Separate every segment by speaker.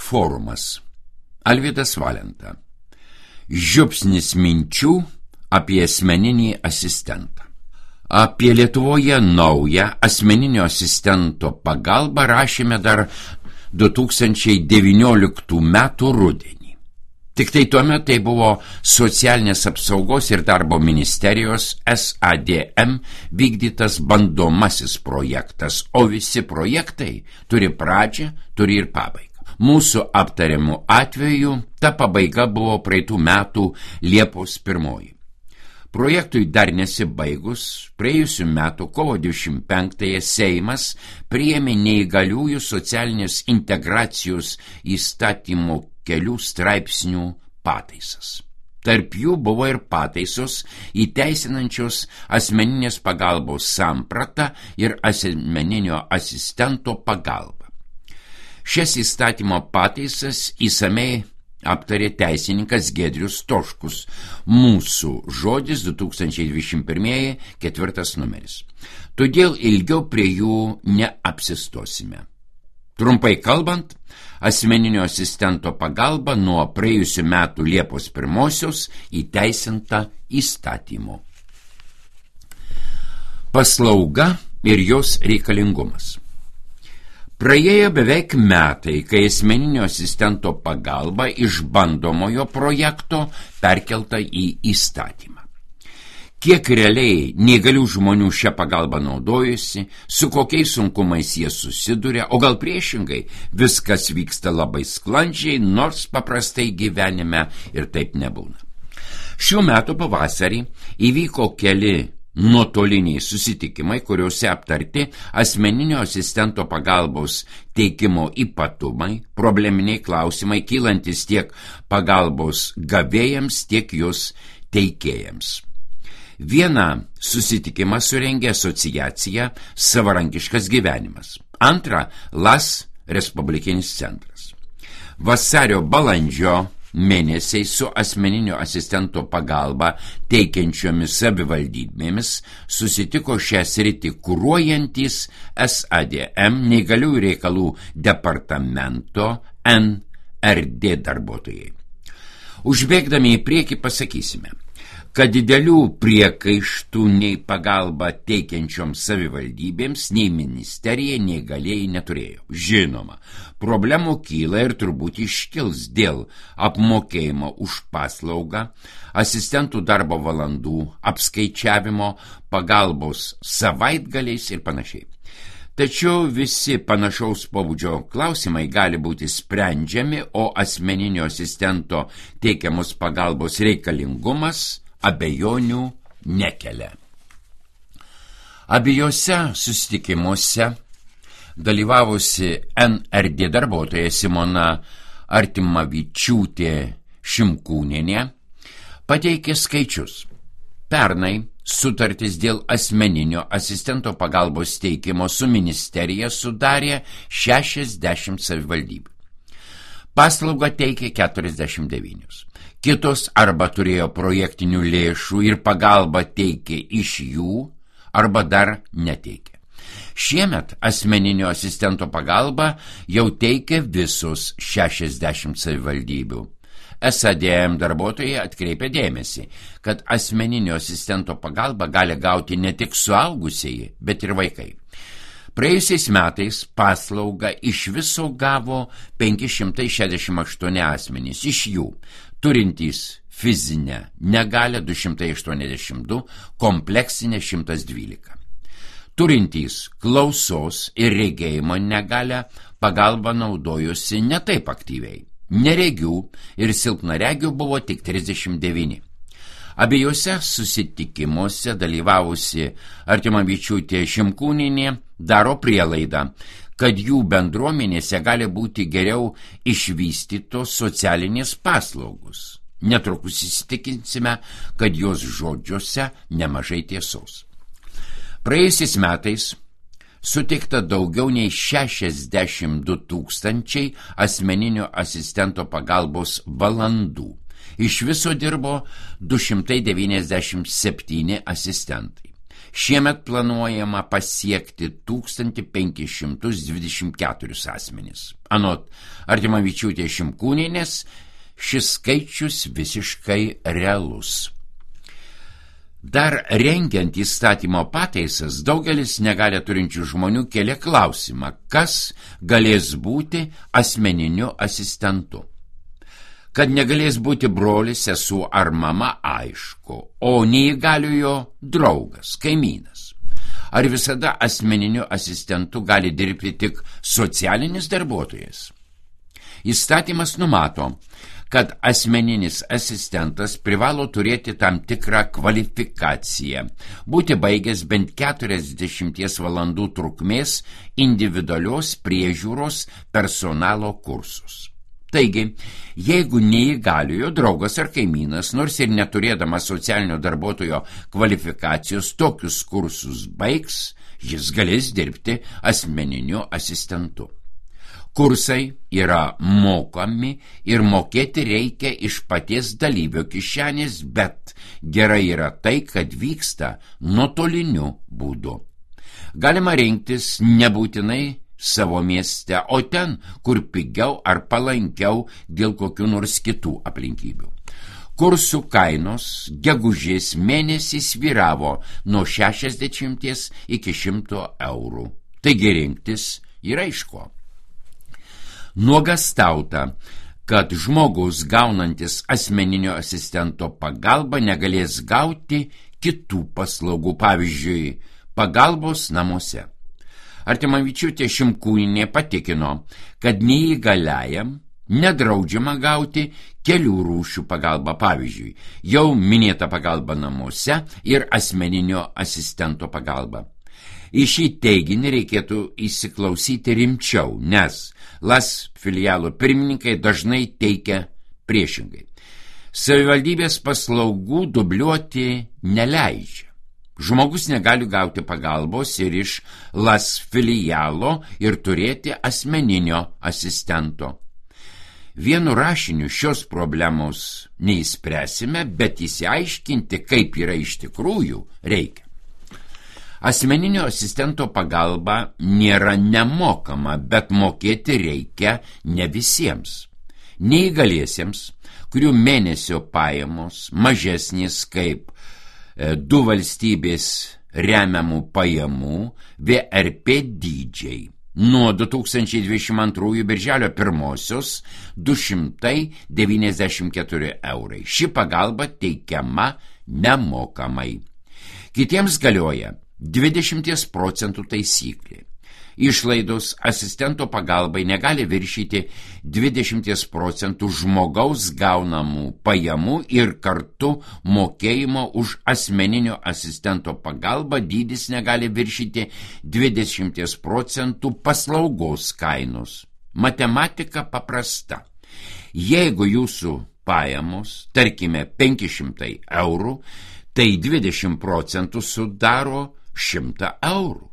Speaker 1: Forumas. Alvydas Valenta. Žiupsnis minčių apie asmeninį asistentą. Apie Lietuvoje naują asmeninio asistento pagalbą rašėme dar 2019 metų rudenį. Tik tai tuomet tai buvo Socialinės apsaugos ir darbo ministerijos SADM vykdytas bandomasis projektas, o visi projektai turi pradžią, turi ir pabaigą. Mūsų aptariamų atveju ta pabaiga buvo praeitų metų Liepos 1. Projektui dar nesibaigus, praėjusių metų kovo 25-ąją Seimas priėmė neįgaliųjų socialinės integracijos įstatymo kelių straipsnių pataisas. Tarp jų buvo ir pataisos įteisinančios asmeninės pagalbos sampratą ir asmeninio asistento pagalbą. Šias įstatymo pataisas įsamei aptarė teisininkas Giedrius Stoškus. Mūsų žodis 2021 4 numeris. Todėl ilgiau prie jų neapsistosime. Trumpai kalbant, asmeninio asistento pagalba nuo praėjusių metų Liepos 1 įteisinta įstatymu. Paslauga ir jos reikalingumas. Praėjo beveik metai, kai asmeninio asistento pagalba iš bandomojo projekto perkelta į įstatymą. Kiek realiai neįgalių žmonių šią pagalbą naudojusi, su kokiais sunkumais jie susiduria, o gal priešingai, viskas vyksta labai sklandžiai, nors paprastai gyvenime ir taip nebūna. Šių metų pavasarį įvyko keli nuotoliniai susitikimai, kuriuose aptarti asmeninio asistento pagalbos teikimo ypatumai, probleminiai klausimai, kylantis tiek pagalbos gavėjams, tiek jos teikėjams. Vieną susitikimą surengė asociacija Savarankiškas gyvenimas. Antrą LAS Respublikinis centras. Vasario-balandžio mėnesiai su asmeninio asistento pagalba teikiančiomis savivaldybėmis susitiko šią sritį kuruojantys SADM neįgaliųjų reikalų departamento NRD darbuotojai. Užbėgdami į priekį pasakysime, kad didelių priekaištų nei pagalba teikiančioms savivaldybėms, nei ministerija neįgalieji neturėjo. Žinoma, problemų kyla ir turbūt iškils dėl apmokėjimo už paslaugą, asistentų darbo valandų, apskaičiavimo, pagalbos savaitgaliais ir panašiai. Tačiau visi panašaus pobūdžio klausimai gali būti sprendžiami, o asmeninio asistento teikiamos pagalbos reikalingumas abejonių nekelia. Abiejose susitikimuose dalyvavusi NRD darbuotoja Simona Artimavičiūtė Šimkūnienė pateikė skaičius. Pernai sutartis dėl asmeninio asistento pagalbos teikimo su ministerija sudarė 60 savivaldybių. Paslaugą teikė 49. Kitos arba turėjo projektinių lėšų ir pagalbą teikė iš jų, arba dar neteikė. Šiemet asmeninio asistento pagalbą jau teikia visos 60 savivaldybių. SADM darbuotojai atkreipia dėmesį, kad asmeninio asistento pagalbą gali gauti ne tik suaugusieji, bet ir vaikai. Praėjusiais metais paslaugą iš viso gavo 568 asmenys, iš jų turintys fizinę negalią 282, kompleksinę 112. Turintys klausos ir regėjimo negalią pagalbą naudojosi ne taip aktyviai. Neregių ir silpnaregių buvo tik 39. Abiejose susitikimuose dalyvavusi Artimavičiūtė Šimkūnienė daro prielaidą, kad jų bendruomenėse gali būti geriau išvystytos socialinės paslaugos. Netrukus įsitikinsime, kad jos žodžiuose nemažai tiesos. Praėjusiais metais suteikta daugiau nei 62 000 asmeninio asistento pagalbos valandų. Iš viso dirbo 297 asistentai. Šiemet planuojama pasiekti 1524 asmenys. Anot Artimavičiūtės Šimkūnienės, šis skaičius visiškai realus. Dar rengiant įstatymo pataisas, daugelis negalią turinčių žmonių kėlė klausimą, kas galės būti asmeniniu asistentu. Kad negalės būti brolis, sesuo ar mama, aišku, o neįgaliojo draugas, kaimynas. Ar visada asmeniniu asistentu gali dirbti tik socialinis darbuotojas? Įstatymas numato, kad asmeninis asistentas privalo turėti tam tikrą kvalifikaciją, būti baigęs bent 40 valandų trukmės individualios priežiūros personalo kursus. Taigi, jeigu neįgaliojo draugas ar kaimynas, nors ir neturėdamas socialinio darbuotojo kvalifikacijos, tokius kursus baigs, jis galės dirbti asmeniniu asistentu. Kursai yra mokami ir mokėti reikia iš paties dalyvio kišenės, bet gerai yra tai, kad vyksta nuotoliniu būdu. Galima rinktis nebūtinai savo mieste, o ten, kur pigiau ar palankiau dėl kokių nors kitų aplinkybių. Kursų kainos gegužės mėnesį svyravo nuo 60 iki 100 eurų. Taigi rinktis yra iš ko. Nuogąstauta, kad žmogus gaunantis asmeninio asistento pagalbą negalės gauti kitų paslaugų, pavyzdžiui, pagalbos namuose. Artimavičiūtė Šimkūnienė patikino, kad neįgaliajam nedraudžiama gauti kelių rūšių pagalbą, pavyzdžiui, jau minėta pagalba namuose ir asmeninio asistento pagalba. Į šį teiginį reikėtų įsiklausyti rimčiau, nes LAS filialo pirmininkai dažnai teikia priešingai. Savivaldybės paslaugų dubliuoti neleidžia. Žmogus negali gauti pagalbos ir iš LAS filialo ir turėti asmeninio asistento. Vienu rašiniu šios problemos neįspręsime, bet įsiaiškinti, kaip yra iš tikrųjų, reikia. Asmeninio asistento pagalba nėra nemokama, bet mokėti reikia ne visiems. Neįgaliesiems, kurių mėnesio pajamos mažesnės kaip 2 valstybės remiamų pajamų VRP dydžiai. Nuo 2022 birželio 1 294 eurai. Ši pagalba teikiama nemokamai. Kitiems galioja 20 procentų taisyklė. Išlaidos asistento pagalbai negali viršyti 20 procentų žmogaus gaunamų pajamų ir kartu mokėjimo už asmeninio asistento pagalbą dydis negali viršyti 20 procentų paslaugos kainos. Matematika paprasta. Jeigu jūsų pajamos, tarkime, 500 eurų, tai 20 procentų sudaro 100 eurų.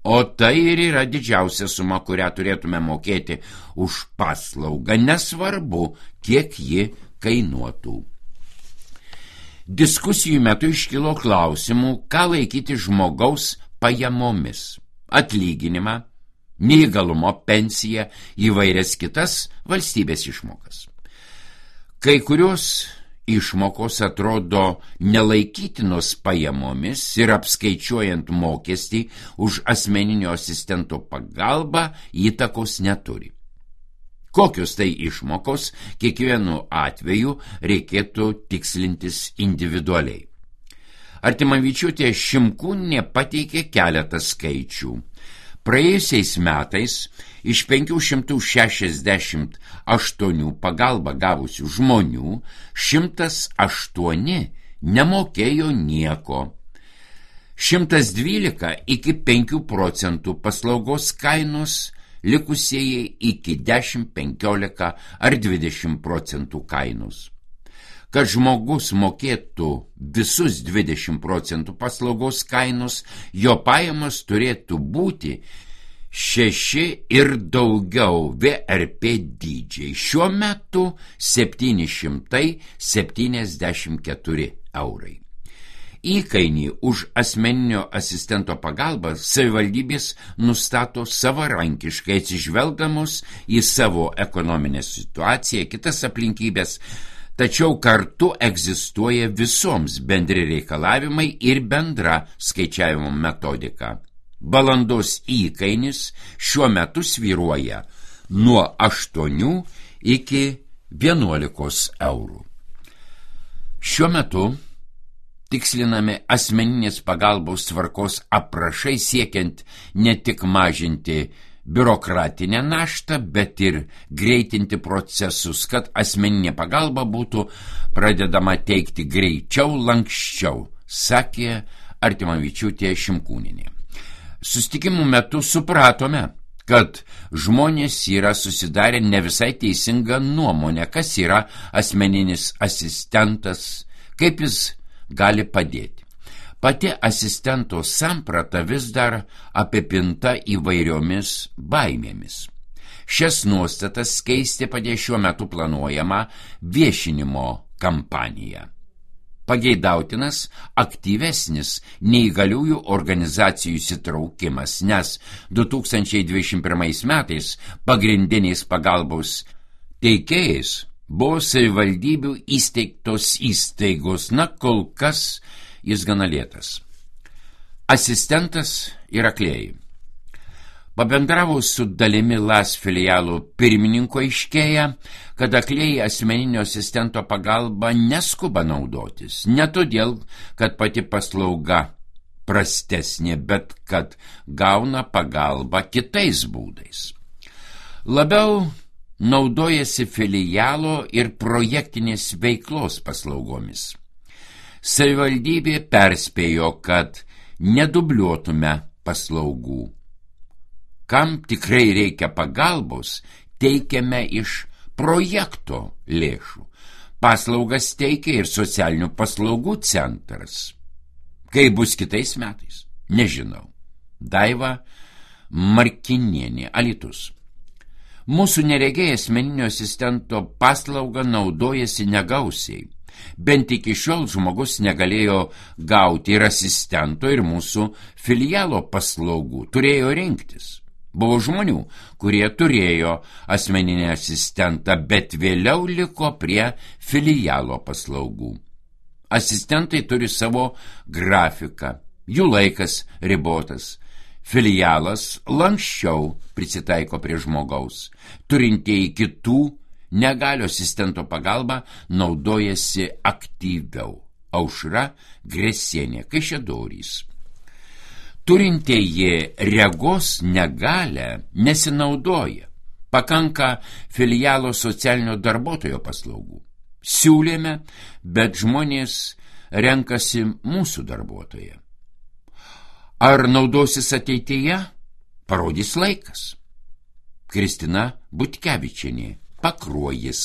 Speaker 1: O tai ir yra didžiausia suma, kurią turėtume mokėti už paslaugą, nesvarbu, kiek ji kainuotų. Diskusijų metu iškilo klausimų, ką laikyti žmogaus pajamomis – atlyginimą, neįgalumo pensiją, įvairias kitas valstybės išmokas. Kai kurios išmokos atrodo nelaikytinos pajamomis ir apskaičiuojant mokestį už asmeninio asistento pagalbą įtakos neturi. Kokios tai išmokos, kiekvienu atveju reikėtų tikslintis individualiai. Artimavičiūtė Šimkūnienė pateikė keletą skaičių. Praėjusiais metais iš 568 pagalbą gavusių žmonių 108 nemokėjo nieko. 112 iki 5 procentų paslaugos kainos, likusieji iki 10, 15 ar 20 procentų kainos. Kad žmogus mokėtų visus 20 procentų paslaugos kainos, jo pajamas turėtų būti 6 ir daugiau VRP dydžiai. Šiuo metu 774 eurai. Įkainį už asmeninio asistento pagalbą savivaldybės nustato savarankiškai atsižvelgdamos į savo ekonominę situaciją, kitas aplinkybės, tačiau kartu egzistuoja visoms bendri reikalavimai ir bendra skaičiavimo metodika. Valandos įkainis šiuo metu svyruoja nuo 8 iki 11 eurų. Šiuo metu tikslinami asmeninės pagalbos tvarkos aprašai siekiant ne tik mažinti biurokratinę naštą, bet ir greitinti procesus, kad asmeninė pagalba būtų pradedama teikti greičiau, lanksčiau, sakė Artimavičiūtė Šimkūnienė. Susitikimų metu supratome, kad žmonės yra susidarę ne visai teisingą nuomonę, kas yra asmeninis asistentas, kaip jis gali padėti. Pati asistento samprata vis dar apipinta įvairiomis baimėmis. Šias nuostatas keisti padės šiuo metu planuojama viešinimo kampanija. Pageidautinas aktyvesnis neįgaliųjų organizacijų įsitraukimas, nes 2021 metais pagrindiniais pagalbos teikėjais buvo savivaldybių įsteigtos įstaigos, kol kas jis gana lėtas. Asistentas ir aklėjai. Pabendravus su dalimi LAS filialų pirmininko aiškėja, kad aklėjai asmeninio asistento pagalba neskuba naudotis, ne todėl, kad pati paslauga prastesnė, bet kad gauna pagalbą kitais būdais. Labiau naudojasi filialo ir projektinės veiklos paslaugomis. Savivaldybė perspėjo, kad nedubliuotume paslaugų. Kam tikrai reikia pagalbos, teikiame iš projekto lėšų. Paslaugas teikia ir socialinių paslaugų centras. Kaip bus kitais metais? Nežinau. Daiva Markinienė, Alytus. Mūsų neregiai asmeninio asistento paslaugą naudojasi negausiai. Bent iki šiol žmogus negalėjo gauti ir asistento, ir mūsų filialo paslaugų. Turėjo rinktis. Buvo žmonių, kurie turėjo asmeninį asistentą, bet vėliau liko prie filialo paslaugų. Asistentai turi savo grafiką, jų laikas ribotas. Filialas lanksčiau prisitaiko prie žmogaus. Turintieji kitų negalių asistento pagalba naudojasi aktyviau. Aušra Gresienė, Kaišiadorys. Turintieji regos negalią nesinaudoja. Pakanka filialo socialinio darbuotojo paslaugų. Siūlėme, bet žmonės renkasi mūsų darbuotoją. Ar naudosis ateityje? Parodys laikas. Kristina Butkevičienė, Pakruojis.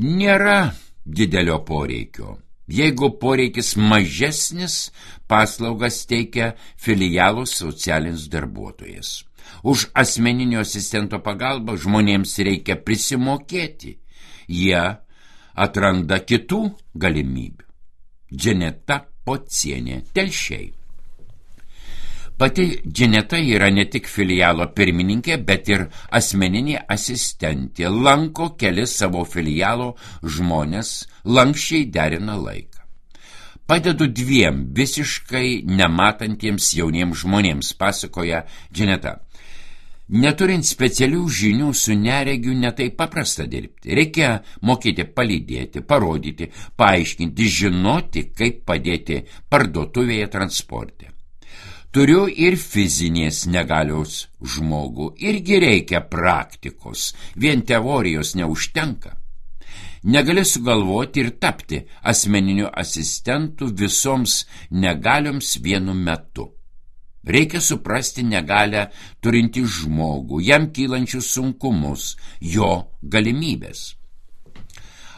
Speaker 1: Nėra didelio poreikio. Jeigu poreikis mažesnis, paslaugas teikia filialo socialinis darbuotojas. Už asmeninio asistento pagalbą žmonėms reikia prisimokėti. Jie atranda kitų galimybių. Dženeta Pocienė, Telšiai. Pati Dženeta yra ne tik filialo pirmininkė, bet ir asmeninė asistentė. Lanko kelis savo filialo žmonės, lankščiai derina laiką. Padedu 2 visiškai nematantiems jauniems žmonėms, pasakoja Dženeta. Neturint specialių žinių su neregiu netai paprasta dirbti. Reikia mokėti palydėti, parodyti, paaiškinti, žinoti, kaip padėti parduotuvėje, transporte. Turiu ir fizinės negalios žmogų, irgi reikia praktikos, vien teorijos neužtenka. Negali sugalvoti ir tapti asmeniniu asistentu visoms negalioms vienu metu. Reikia suprasti negalią turintį žmogų, jam kylančius sunkumus, jo galimybės.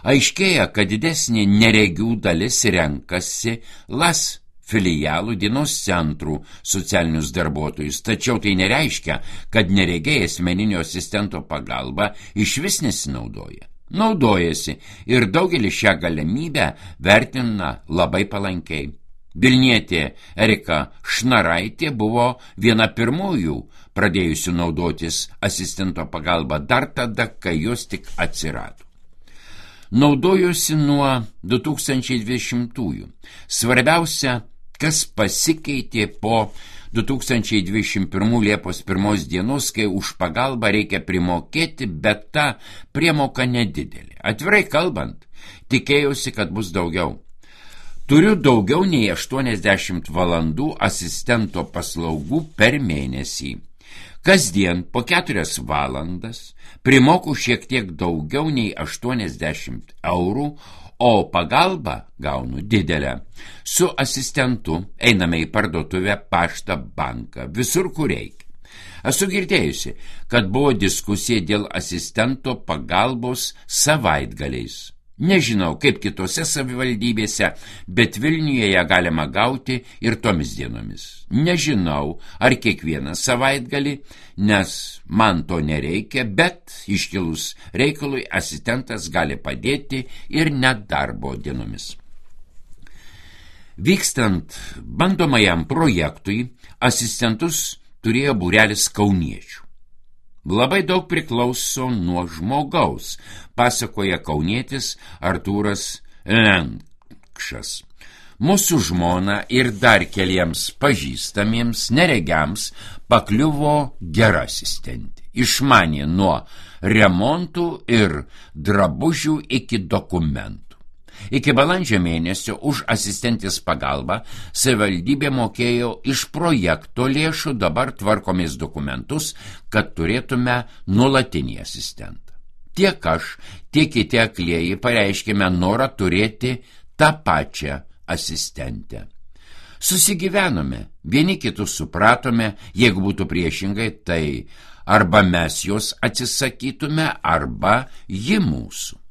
Speaker 1: Aiškėja, kad didesnė neregių dalis renkasi LAS filialų dienos centrų socialinius darbuotojus, tačiau tai nereiškia, kad neregiai asmeninio asistento pagalba išvis nesinaudoja. naudojasi ir daugelis šią galimybę vertina labai palankiai. Vilnietė Erika Šnaraitė buvo viena pirmųjų pradėjusių naudotis asistento pagalba dar tada, kai jos tik atsirado. Naudojusi nuo 2020-ųjų. Svarbiausia, kas pasikeitė po 2021 Liepos 1 dienos, kai už pagalbą reikia primokėti, bet ta priemoka nedidelė. Atvirai kalbant, tikėjausi, kad bus daugiau. Turiu daugiau nei 80 valandų asistento paslaugų per mėnesį. Kasdien po 4 valandas primoku šiek tiek daugiau nei 80 eurų, o pagalbą gaunu didelę. Su asistentu einame į parduotuvę, paštą, banką, visur, kur reikia. Esu girdėjusi, kad buvo diskusija dėl asistento pagalbos savaitgaliais. Nežinau, kaip kitose savivaldybėse, bet Vilniuje ją galima gauti ir tomis dienomis. Nežinau, ar kiekvieną savaitgalį, nes man to nereikia, bet iškilus reikalui asistentas gali padėti ir net darbo dienomis. Vykstant bandomajam projektui, asistentus turėjo būrelis kauniečių. Labai daug priklauso nuo žmogaus, pasakoja kaunietis Artūras Lenkšas. Mūsų žmona ir dar keliems pažįstamiems neregiams pakliuvo gera asistentė. Išmanė nuo remontų ir drabužių iki dokumentų. Iki balandžio mėnesio už asistentės pagalbą savivaldybė mokėjo iš projekto lėšų, dabar tvarkomės dokumentus, kad turėtume nuolatinį asistentą. Tiek aš, tiek kiti aklieji pareiškėme norą turėti tą pačią asistentę. Susigyvenome, vieni kitus supratome, jeigu būtų priešingai, tai arba mes jos atsisakytume, arba ji mūsų.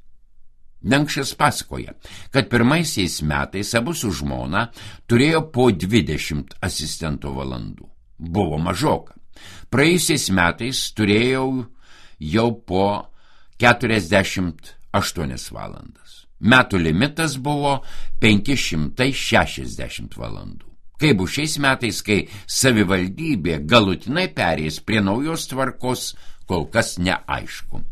Speaker 1: Lenkšas pasakoja, kad pirmaisiais metais abu su žmona turėjo po 20 asistento valandų. Buvo mažoka. Praėjusiais metais turėjau jau po 48 valandas. Metų limitas buvo 560 valandų. Kaip bus šiais metais, kai savivaldybė galutinai perės prie naujos tvarkos, kol kas neaišku.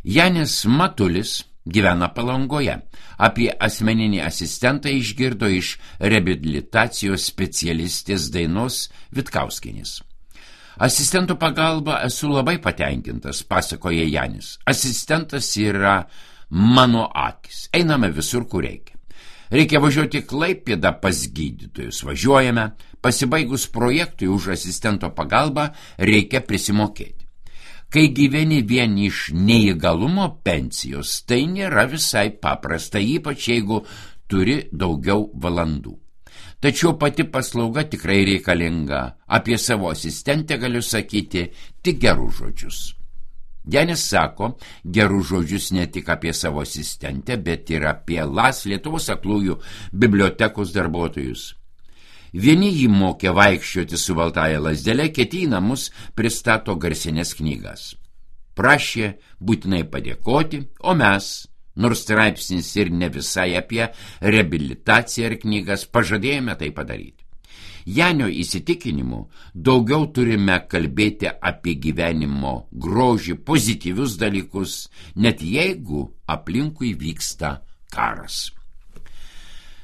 Speaker 1: Janis Matulis gyvena Palangoje. Apie asmeninį asistentą išgirdo iš reabilitacijos specialistės Dainos Vitkauskienės. Asistentų pagalba esu labai patenkintas, pasakoja Janis. Asistentas yra mano akis. Einame visur, kur reikia. Reikia važiuoti Klaipėdą pas gydytojus. Važiuojame. Pasibaigus projektui už asistento pagalbą reikia prisimokėti. Kai gyveni vien iš neįgalumo pensijos, tai nėra visai paprasta, ypač jeigu turi daugiau valandų. Tačiau pati paslauga tikrai reikalinga. Apie savo asistentę galiu sakyti tik gerus žodžius. Janis sako gerus žodžius ne tik apie savo asistentę, bet ir apie LAS Lietuvos aklųjų bibliotekos darbuotojus. Vieni jį mokė vaikščioti su baltaja lazdele, kiti į namus pristato garsinės knygas. Prašė būtinai padėkoti, o mes, nors straipsnis ir ne visai apie reabilitaciją ir knygas, pažadėjome tai padaryti. Janio įsitikinimu daugiau turime kalbėti apie gyvenimo grožį, pozityvius dalykus, net jeigu aplinkui vyksta karas.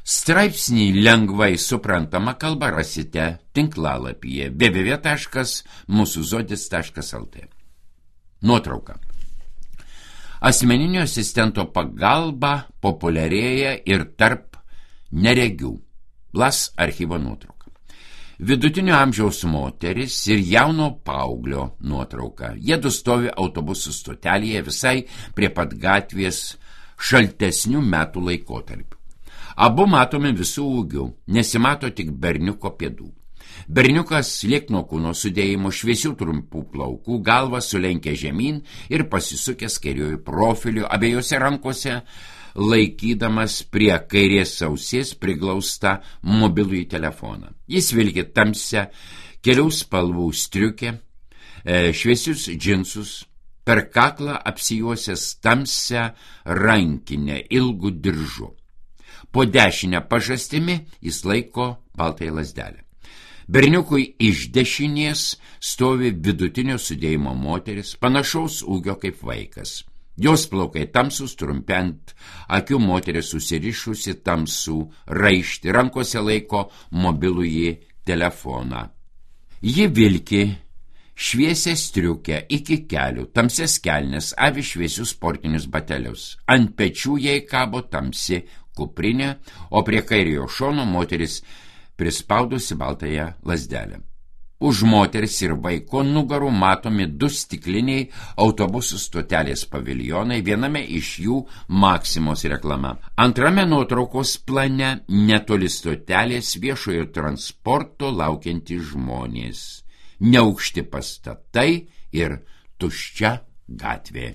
Speaker 1: Straipsnį lengvai suprantama kalba rasite tinklalapyje www.musuzodis.lt. Nuotrauka. Asmeninio asistento pagalba populiarėja ir tarp neregių. LAS archyvo nuotrauka. Vidutinio amžiaus moteris ir jauno paauglio nuotrauka. Jiedu stovi autobusų stotelėje visai prie pat gatvės šaltesnių metų laikotarpių. Abu matomi visų ūgių, nesimato tik berniuko pėdų. Berniukas liekno kūno sudėjimo, šviesių trumpų plaukų, galvą sulenkia žemyn ir pasisukęs kairiuoju profiliu, abiejose rankose laikydamas prie kairės ausies priglaustą mobilųjį telefoną. Jis vilki tamsią, kelių spalvų striukę, šviesius džinsus, per kaklą apsijuosęs tamsią rankinę ilgų diržų. Po dešinę pažastimi jis laiko baltąją lazdelę. Berniukui iš dešinės stovi vidutinio sudėjimo moteris, panašaus ūgio kaip vaikas. Jos plaukai tamsus, trumpi ant akių, moteris susirišusi tamsų raištį, rankose laiko mobilųjį telefoną. Ji vilki šviesią striukę iki kelių, tamsias kelnes, avi šviesius sportinius batelius. Ant pečių jai kabo tamsi kuprinė, o prie kairiojo šono moteris prispaudusi baltąją lazdelę. Už moteris ir vaiko nugarų matomi 2 stikliniai autobusų stotelės paviljonai, viename iš jų Maksimos reklama. Antrame nuotraukos plane netoli stotelės viešojo transporto laukiantys žmonės, neaukšti pastatai ir tuščia gatvė.